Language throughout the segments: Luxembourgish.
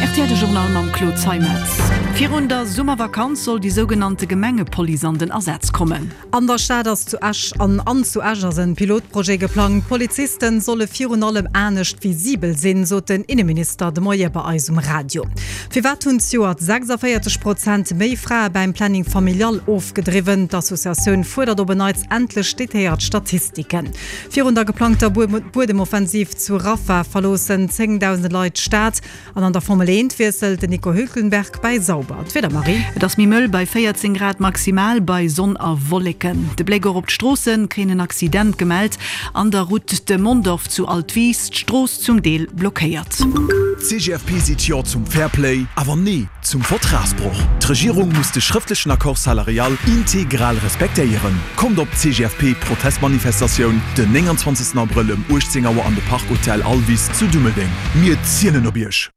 Rtl De Journal mam Claude Zeimetz. Virun der Summervakanz soll déi sougenannte Gemengepolice an den Asaz kommen. An der Stad ass zu Esch an an zu Esch ass en Pilotprojet geplangt. D'Polizisten solle virun allem anescht visibel sinn, sot den Inneminister de Moie bei eis um Radio. Firwat hunn zejoert 46 Prozent méi Frae bäim Planning Familial ofgedriwwen? D'Associatioun fuerdert op en Neits endlech detailléiert Statistiken. Virun der geplangter Buedemoffensiv zu Rafah verloossen zéngdausende Leit d'Stad. An an der Formel 1 wiesselt den Nico Hülkenberg bäi Sauber. D'Wieder, Marie? Et ass méi mëll bei 14 Grad maximal bei Sonn a Wolleken. De Bléck och op d'Stroossen, Keen en Accident gemellt an der Route de Mondorf zu Altwis, d'Strooss zum Deel blockéiert. D'CGFP seet Jo zum Fairplay, awer Nee zum Vertragsbroch. D'Regierung muss de schrëftlechen Accord salarial integral respektéieren. Kommt op d'CGFP-Protestmanifestatioun den 29 Abrëll ëm 18 Auer an de Park Hotel Alvis zu Dummeldeng. Mir zielen op Iech!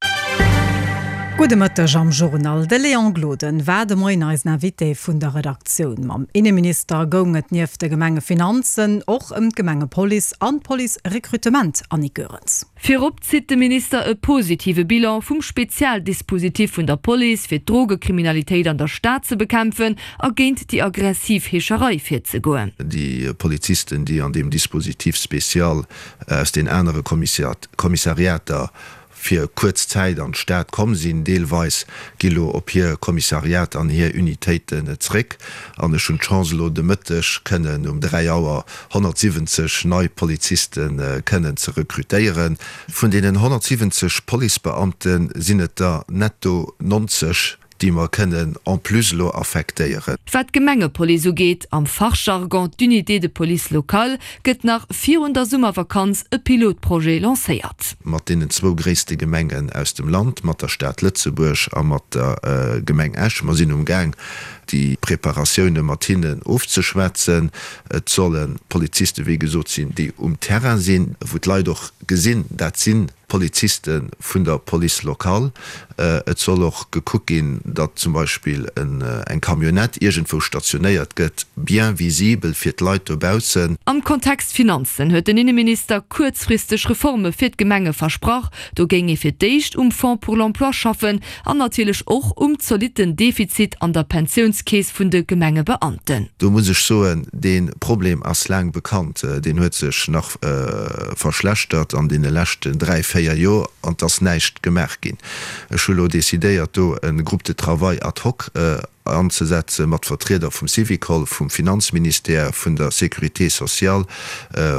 Gudde Mëtteg am Journal. De Léon Gloden war de Moien eisen Invité vun der Redaktioun. Mam Inneminister goung et nieft de Gemengefinanzen och ëm d'Gemengepolice an d'Police-Recrutement. Annick Goerens. Virop zitt de Minister e positive Bilan vum Spezialdispositif vun der Police, fir d'Drogekriminalitéit an der Stad ze bekämpfen a géint déi aggressiv Heescherei virzegoen. Déi Polizisten, déi an deem Dispositif spécial aus den anere Kommissariater fir kuerz Zäit an d'Stad komm sinn, deelweis, gi lo op hir Kommissariat an hir Unitéiten zréck. An ech hunn d'Chance elo de Mëtteg kënnen um 3 Auer 170 nei Poliziste kënnen ze rekrutéieren. Vun deenen 170 Policebeamte sinn et der netto 90, déi mer kënnen en plus elo affektéieren. Wat d'Gemengepolice ugeet, am Fachjargon d'Unité de police locale, gëtt nach virun der Summervakanz e Pilotprojet lancéiert. Mat deenen zwou gréisste Gemengen aus dem Land, mat der Stad Lëtzebuerg a mat der Gemeng Esch. Mer sinn um Gaang, déi Preparatioune mat hinnen ofzeschwätzen. Et solle Poliziste wéi gesot sinn, déi um Terrain sinn, wou d'Leit och gesinn, dat si Poliziste vun der Police locale. Et soll och gekuckt ginn, datt zum Beispill eng Camionnette iergendwou stationéiert gëtt, bien visibel fir d'Leit dobaussen. Am Kontext Finanzen huet den Inneminister kuerzfristeg Reforme fir d'Gemenge versprach. Do géing ee fir d'éischt um Fonds pour l'emploi schaffen an natierlech och um zolitten Defizit an der Pensiounskeess vun de Gemengebeamten. Do muss ech soen, dee Problem ass laang bekannt, deen huet sech nach verschlechtert an deene leschten dräi, véier Joer an et ass näischt gemaach ginn. Ech hu lo decidéiert, do e Groupe de travail ad hoc anzesetze mat Vertrieder vum Syvicol, vum Finanzministère, vun der Sécurité sociale,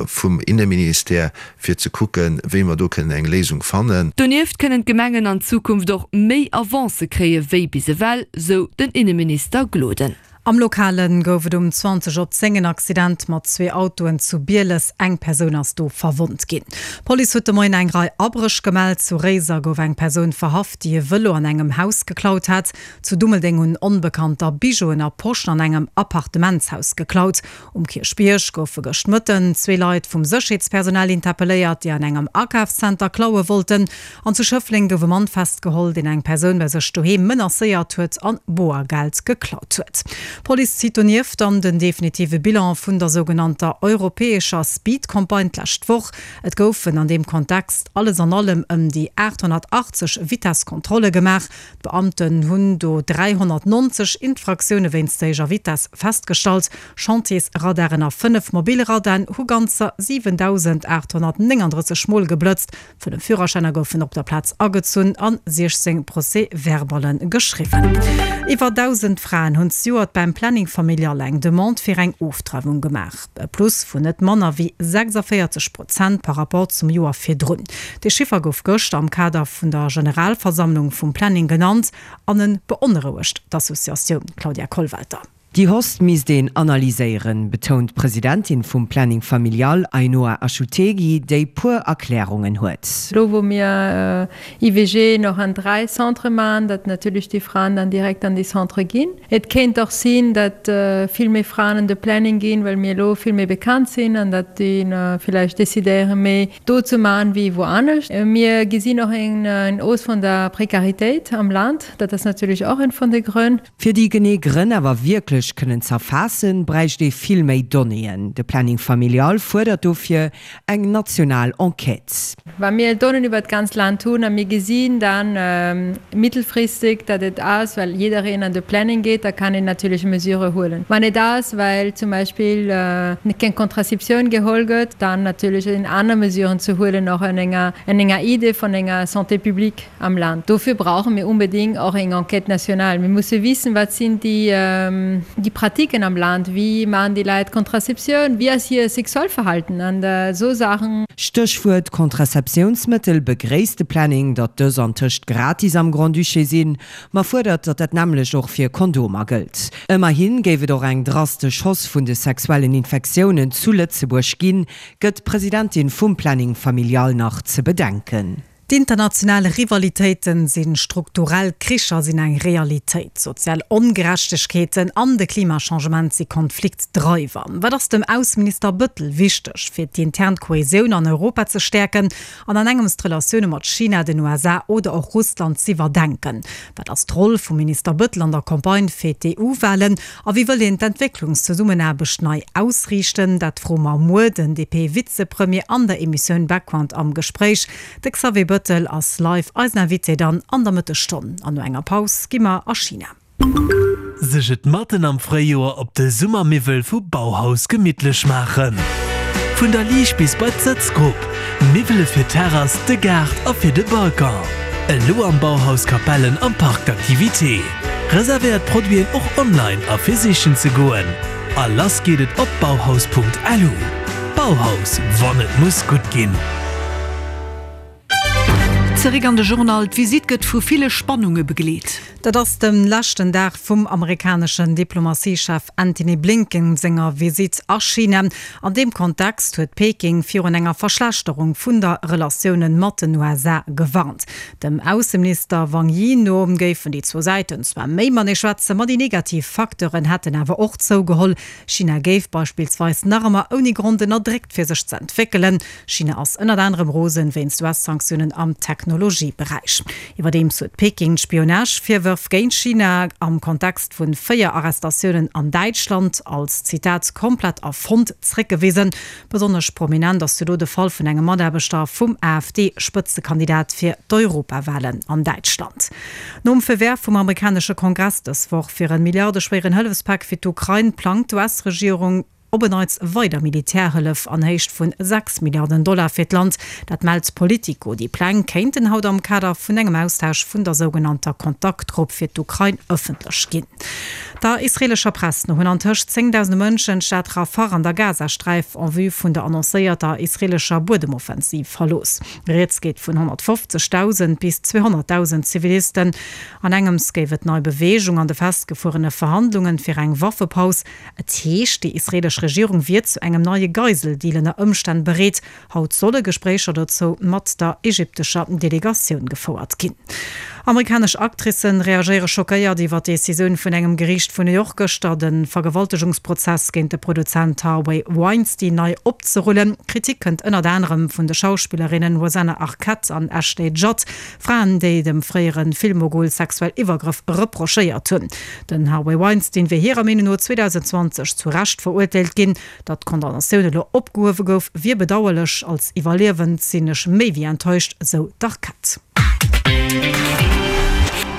vum Inneministère, fir ze kucken, wéi mer do kënnen eng Léisung fannen. Donieft kënnen d'Gemengen an Zukunft och méi Avancë kréie wéi bis ewell, sou den Inneminister Gloden. Am Lokale gouf et um 20 op 10 en Accident mat zwee Autoen zu Bieles. Eng Persoun ass do verwonnt ginn. D'Police huet de Moien eng Rei Abréch gemellt. Zu Réiser gouf eng Persoun verhaft, déi e Vëlo an engem Haus geklaut hat. Zu Dummeldeng hunn Onbekannter Bijouen a Poschen an engem Appartementshaus geklaut. Um Kierchbierg goufe gëscht Mëtten zwee Leit vum Sécherheetspersonal interpelléiert, déi an engem Akafszenter klaue wollten. An zu Schëffleng gouf e Mann festgeholl, deen eng Persoun bei sech doheem menacéiert huet an Boergeld geklaut huet. D'Police zitt donieft dann den definitive Bilan vun der sougenannter europäescher Speed-Campagne d'lescht Woch. Et goufen an deem Kontext alles an allem ëm déi 880 Vitesskontrolle gemaach. D'Beamten hunn do 390 Infraktioune wéinst héijer Vitess festgestallt. Chantiersradaren a 5 mobil Radaren hu ganzer 7.839 Mol geblëtzt. 5 Führerschäiner goufen op der Plaz agezunn an 16 Procès-verballen geschriwwen. Iwwer 1.000 Fraen hunn zejoert beim Planning Familial eng Demande fir eng Ofdreiwung gemaach. E Plus vun net manner wéi 46 Prozent par Rapport zum Joer virdrun. Dee Chiffer gouf gëschter am Kader vun der Generalversammlung vum Planning genannt an e beonrouegt d'Associatioun. Claudia Kollwelter. Déi Hausse misst een analyséieren, betount d'Presidentin vum Planning Familial, Ainhoa Achutegui, déi puer Erklärungen huet. Lo wou mir IVG och an 3 Centre maachen, datt natierlech déi Fraen dann direkt an déi Centre ginn. Et kéint och sinn, datt vill méi Fraen an de Planning ginn, well mir elo vill méi bekannt sinn an datt déi villäicht decidéieren, méi do ze maachen wéi wou anescht. Mir gesinn och eng Hausse vun der Prekaritéit am Land. Dat ass natierlech och een vun de Grënn. Fir déi genee Grënn awer wierklech. wierklech kënnen z'erfaassen, bräicht ee vill méi Donnéeën. De Planning Familial fuerdert dofir eng national Enquête. Wa mir Donnéeën iwwer d'ganzt Land hunn a mir gesinn dann mittelfristig, datt et ass, well jiddereen an de Planning geet, da kann een natierlech Mesure huelen. Wann et ass, well zum Beispill keng Contraceptioun geholl gëtt, dann natierlech sinn aner Mesuren ze huelen, och an enger an enger Idee vun enger Santé publique am Land. Dofir brauche mir unbedéngt och eng Enquête nationale. Mir musse wissen, wat sinn déi déi Pratiquen am Land, wéi maachen déi Leit Contraceptioun, wéi ass hir Sexualverhalten an esou Saachen. Stéchwuert Contraceptiounsmëttel, Begréisst de Planning, datt dës antëscht gratis am Grand-Duché sinn, ma fuerdert, datt dat nämmlecht och fir Kondomer gëllt. Ëmmerhi géif et och eng drastesch Hausse vun de sexuellen Infektiounen zu Lëtzebuerg ginn, gëtt d'Presidentin vum Planning Familial nach ze bedenken. D'international Rivalitéiten sinn strukturell, Kricher sinn eng Realitéit, sozial Ongerechtegkeeten an de Klimachangement si Konfliktdreiwer. Wat ass dem Ausseminister Bëttel wichteg, fir d'intern Kohäsioun an Europa ze stäerken an an engems d'Relatioune mat China, den USA oder och Russland z'iwwerdenken? Wat ass d'Roll vum Minister Bëttel an der Campagne fir d'EU-Walen A wéi wëll een d'Entwécklungszesummenaarbecht nei ausriichten? Dat froe mer muer den DP-Vizepremier an der Emissioun Background am Gespréich. De Xavier Bëttel ass live eisen Invité dann an der Mëttesstonn. An no enger Paus gi mer a China. Sech et matten am Fréijoer op de Summermiwwel vu Bauhaus gemittlech maachen. Vun der Liicht bis bei d'Sëtzgrupp, Miwwele fir d'Terrass, de Gaart a fir de Balcon. Elo am Bauhaus Capellen am Parc d'activités. Reservéiert d'Produiten och online a fir sichen ze goen. A lass geet et op bauhaus.lu. Bauhaus, wann et muss gutt ginn. Zeréck an de Journal. D'Visitt gëtt vu ville Spannunge begleet. Dat ass de leschten Dag vum amerikaneschen Diplomatiechef Antony Blinken senger Visitt a China. An deem Kontext huet Peking virun enger Verschlechterung vun der Relatiounen mat den USA gewarnt. Dem Ausseminister Wang Yi no géifen déi zwou Säiten zwar méi matenee schwätzen, ma déi negativ Facteuren hätten awer och zougeholl. China géif beispillsweis nach ëmmer ouni Grond ënnerdréckt fir sech ze entwéckelen. China ass ënnert anerem rosen wéinst US-Sanktiounen am Technologieberäich. Iwwerdeems huet Peking d'Spionage-Virwërf géint China am Kontext vun 4 Arrestatiounen an Däitschland als, Zitat, komplett erfonnt zréckgewisen. Besonnesch prominent ass jo do de Fall vun engem Mataarbechter vum AfD-Spëtzekandidat fir d'Europawalen an Däitschland. Nom Feu vert vum amerikanesche Kongress dës Woch fir e milliardeschwéieren Hëllefspak fir d'Ukrain, plangt d'US-Regierung op en Neits weider Militärhëllef an Héicht vun 6 Milliarden Dollar fir d'Land. Dat mellt Politico. Déi Pläng kéinten haut am Kader vun engem Austausch vun der sougenannter Kontaktgrupp fir d'Ukrain ëffentlech ginn. Der israeelescher Press no hunn antëscht zéngdausende Mënschen d'Stad Rafah an der Gazasträif en vue vun der annoncéierter israeelescher Buedemoffensiv verlooss. Rieds geet vun 150.000 bis 200.000 Zivilisten. An engems géif et nei Beweegung an de festgefuerene Verhandlungen fir eng Waffepaus. Et heescht, déi israeelesch Regierung wier zu engem neie Geiseldeal ënner Ëmstänn bereet. Haut solle Gespréicher dozou mat der ägyptescher Delegatioun gefouert ginn. Amerikanesch Actricen reagéiere schockéiert iwwer d'Decisioun vun engem Geriicht vun New York gëschter, de Vergewaltegungsprozess géint de Produzent Harvey Weinstein nei opzerullen. Kritik kënnt ënnert anerem vun de Schauspillerinnen Rosanna Arquette an Ashley Judd, Fraen, déi dem fréiere Filmmogul sexuell Iwwergrëff reprochéiert hunn. Den Harvey Weinstein wier hirer Meenung no 2020 zu Recht verurteelt ginn. Datt d'Condamnatioun elo opgehuewe gouf, wier bedauerlech. Als Iwwerliewend sinn ech méi wéi enttäuscht, sou d'Arquette.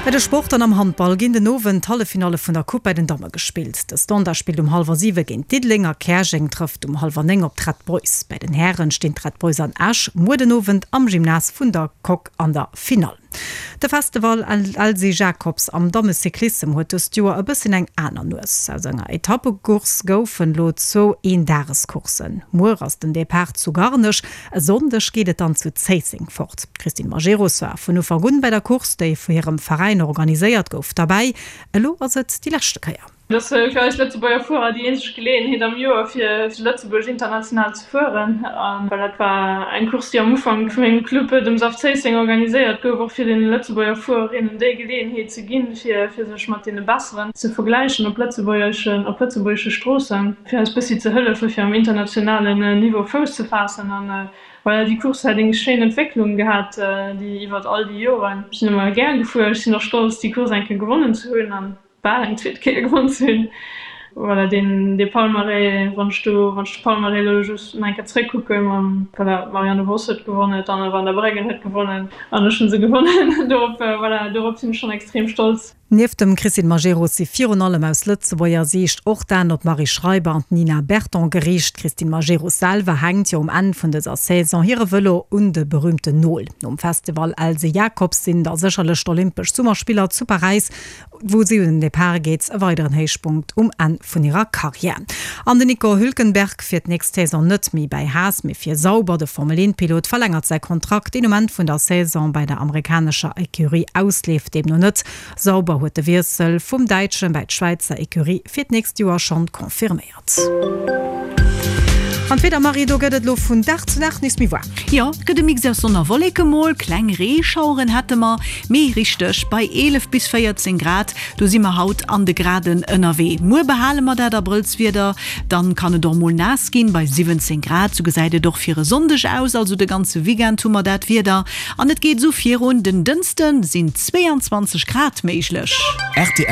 Bei de Sport an am Handball ginn den Owend d'Halleffinalle vun der Coupe bei den Damme gespillt. De Standard spillt um hallwer 7 géint Diddeleng a Käerjeng trëfft um hallwer 9 op d'Red Boys. Bei den Hären stinn d'Red Boys an Esch muer den Owend am Gymnase vun der Coque an der Finall. De Festival Elsy Jacobs am Dammecyclissem huet dëst Joer e bësschen eng aner Nues. Aus enger Etappecourse goufen elo zwou Eendagescourssen. Muer ass den Depart zu Garnech, e Sonndeg geet et dann zu Zéisseng fort. D'Christine Majerus war vun Ufank un bei der Course, déi vu hirem Veräin organiséiert gouf, derbäi. Elo ass et déi leschte Kéier. Et ass fir eis Lëtzebuerger Fuerer déi eenzeg Geleeënheet am Joer fir zu Lëtzebuerg international ze fueren. A well dat war eng Course déi am Ufank vu mengem Club, dem SAF Zéisseng, organiséiert gouf, och fir deene Lëtzebuerger Fuererinnen déi Geleeënheet ze ginn, fir fir sech mat deene Besseren ze vergläichen op lëtzebuergeschen op lëtzebuergesche Stroossen, fir eis bëssi ze hëllefe fir am internationalen Niveau Fouss ze faassen. An voilà, déi Course hat eng schéin Entwécklung gehat déi iwwert all déi Joren. Ech sinn ëmmer gär gefuer, ech sinn och stolz déi Course eng Kéier gewonnen ze hunn. An bal eng zweet Kéier gewonn ze hunn. Voilà, deen, dee Palmarès, wann ech do, wann ech de Palmarès elo just nach eng Kéier zréckkucken, mam, voilà, d'Marianne Vos huet gewonnen, d'Anne van der Breggen huet gewonnen an ech hu se gewonnen. Dorop, voilà, dorop sinn ech schonn extrem stolz. Nieft dem Christine Majerus si virun allem aus Lëtzebuerger Siicht och d'Aen op d'Marie Schreiber an d'Nina Berton geriicht. D'Christine Majerus selwer hänkt jo um Enn vun dëser Saison hire Vëlo un de berüümten Nol. Nom Festival Else Jacobs sinn da sécherlech d'Olympesch Summerspiller zu Paräis wou si un den Depart geet, e weideren Héichpunkt um Enn vun hirer Karriär. An den Nico Hülkenberg fiert d'nächst Saison net méi bäi Haas, mee fir Sauber. De Formel-Eent-Pilot verlängert säi Kontrakt, deen um Enn vun der Saison bäi der amerikanescher Ecurie ausleeft, deemno net. Sauber huet de Wiessel vum Däitschen bäi d'Schwäizer Ecurie fir d'nächst Joer schonn confirméiert. An d'Wieder, Marie, do gëtt et elo vun Dag zu Dag nees méi waarm. Jo, et gëtt e Mix aus Sonn a Wolleke, mol kleng Reeschaueren hätte mer, mee richteg bei 11 bis 14 Grad, do si mer haut an de Graden ënnerwee. Muer behale mer dat Abrëllswieder, dann kann et och mol naass ginn bei 17 Grad. Sou gesäit et och fir e Sonndeg aus, also de ganze Weekend hu mer dat Wieder an et geet esou virun. Den Dënschde sinn 22 Grad méiglech. Rtl.